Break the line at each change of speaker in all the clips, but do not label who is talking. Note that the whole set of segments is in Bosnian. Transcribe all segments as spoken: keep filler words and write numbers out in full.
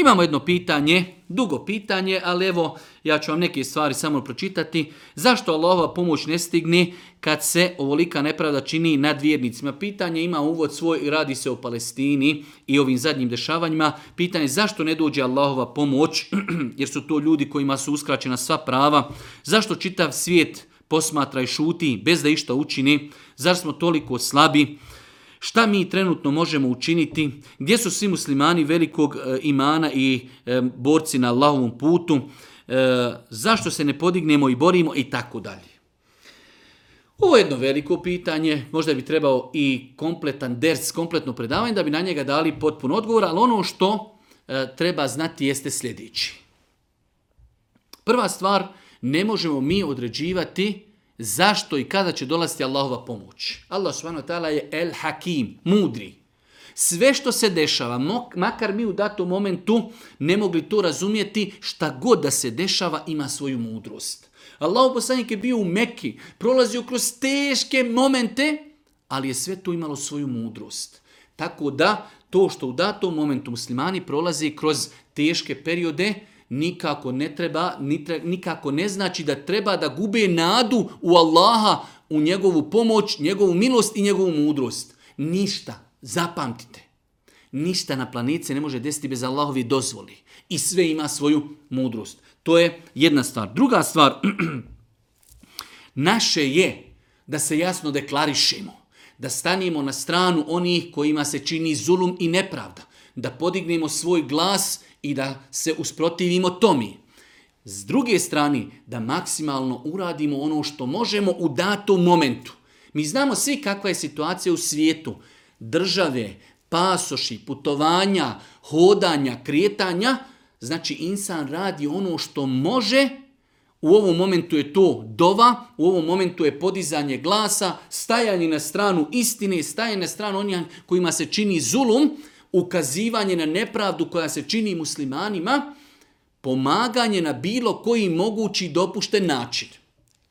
Imamo jedno pitanje, dugo pitanje, ali evo ja ću vam neke stvari samo pročitati. Zašto Allahova pomoć ne stigne kad se ovolika nepravda čini nad vjernicima? Pitanje ima uvod svoj i radi se o Palestini i ovim zadnjim dešavanjima. Pitanje je zašto ne dođe Allahova pomoć, jer su to ljudi kojima su uskraćena sva prava. Zašto čitav svijet posmatra i šuti bez da išta učini? Zašto smo toliko slabi? Šta mi trenutno možemo učiniti? Gdje su svi muslimani velikog e, imana i e, borci na Allahovom putu? E, zašto se ne podignemo i borimo i tako dalje? Ovo je jedno veliko pitanje, možda bi trebao i kompletan ders, kompletno predavanje da bi na njega dali potpun odgovor, ali ono što e, treba znati jeste sljedeći. Prva stvar, ne možemo mi određivati zašto i kada će dolaziti Allahova pomoć. Allah subhanahu wa ta'ala je El Hakim, mudri. Sve što se dešava, makar mi u datom momentu ne mogli to razumjeti, šta god da se dešava ima svoju mudrost. Allahov poslanik je bio u Mekki, prolazio kroz teške momente, ali je sve to imalo svoju mudrost. Tako da to što u datom momentu muslimani prolaze kroz teške periode, nikako ne treba, nikako ne znači da treba da gube nadu u Allaha, u njegovu pomoć, njegovu milost i njegovu mudrost. Ništa, zapamtite, ništa na planeti se ne može desiti bez Allahovi dozvoli. I sve ima svoju mudrost. To je jedna stvar. Druga stvar, naše je da se jasno deklarišemo, da stanemo na stranu onih kojima se čini zulum i nepravda, da podignemo svoj glas i da se usprotivimo tomi. S druge strane, da maksimalno uradimo ono što možemo u datom momentu. Mi znamo svi kakva je situacija u svijetu. Države, pasoši, putovanja, hodanja, kretanja. Znači, insan radi ono što može. U ovom momentu je to dova, u ovom momentu je podizanje glasa, stajanje na stranu istine, stajanje na stranu onih kojima se čini zulum, ukazivanje na nepravdu koja se čini muslimanima, pomaganje na bilo koji mogući dopušten način.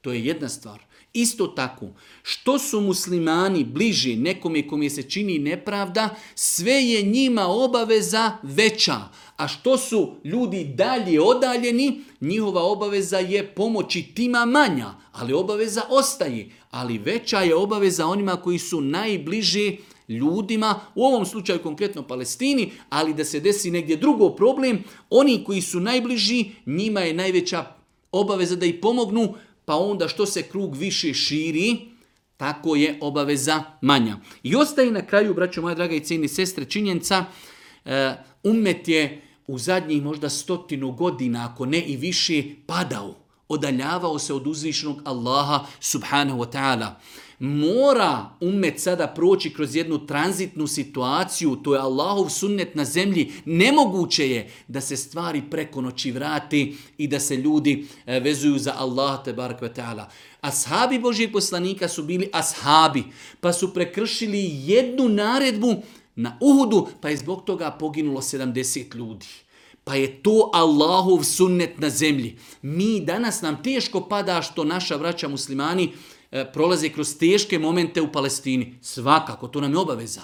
To je jedna stvar. Isto tako, što su muslimani bliži nekome kome se čini nepravda, sve je njima obaveza veća. A što su ljudi dalje odaljeni, njihova obaveza je pomoći tima manja, ali obaveza ostaje. Ali veća je obaveza onima koji su najbliži ljudima, u ovom slučaju konkretno Palestini, ali da se desi negdje drugo problem, oni koji su najbliži, njima je najveća obaveza da ih pomognu, pa onda što se krug više širi, tako je obaveza manja. I ostaje na kraju, braćo moja draga i cijeni sestre, činjenica, uh, ummet je u zadnjih možda stotinu godina, ako ne i više, padao, odaljavao se od uzvišenog Allaha subhanahu wa ta'ala. Mora ummet sada proći kroz jednu tranzitnu situaciju, to je Allahov sunnet na zemlji. Nemoguće je da se stvari preko noći vrati i da se ljudi vezuju za Allah tebarek ve ta'ala. Ashabi Božijeg poslanika su bili ashabi, pa su prekršili jednu naredbu na Uhudu, pa je zbog toga poginulo sedamdeset ljudi. Pa je to Allahov sunnet na zemlji. Mi danas nam teško pada što naša braća muslimani prolaze kroz teške momente u Palestini. Svakako, to nam je obaveza.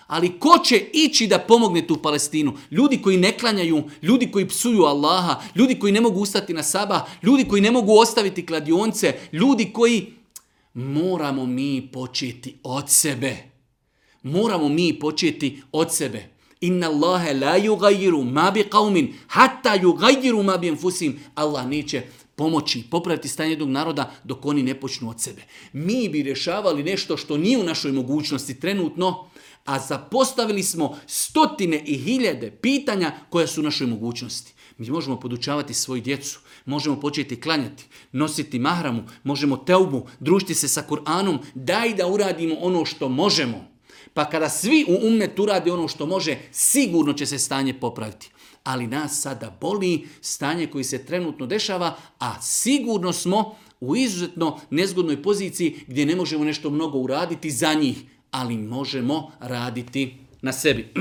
Ali ko će ići da pomogne tu Palestinu? Ljudi koji ne klanjaju, ljudi koji psuju Allaha, ljudi koji ne mogu ustati na sabah, ljudi koji ne mogu ostaviti kladionce, ljudi koji... Moramo mi početi od sebe. Moramo mi početi od sebe. Inna Allahe la yugayiru ma bi qawmin hatta yugayiru ma bi anfusihim. Allah neće pomoći, popraviti stanje jednog naroda dok oni ne počnu od sebe. Mi bi rješavali nešto što nije u našoj mogućnosti trenutno, a zapostavili smo stotine i hiljade pitanja koja su u našoj mogućnosti. Mi možemo podučavati svoju djecu, možemo početi klanjati, nositi mahramu, možemo teubu, družiti se sa Kur'anom, daj da uradimo ono što možemo. Pa kada svi u ummetu urade ono što može, sigurno će se stanje popraviti. Ali nas sada boli stanje koji se trenutno dešava, a sigurno smo u izuzetno nezgodnoj poziciji gdje ne možemo nešto mnogo uraditi za njih, ali možemo raditi na sebi.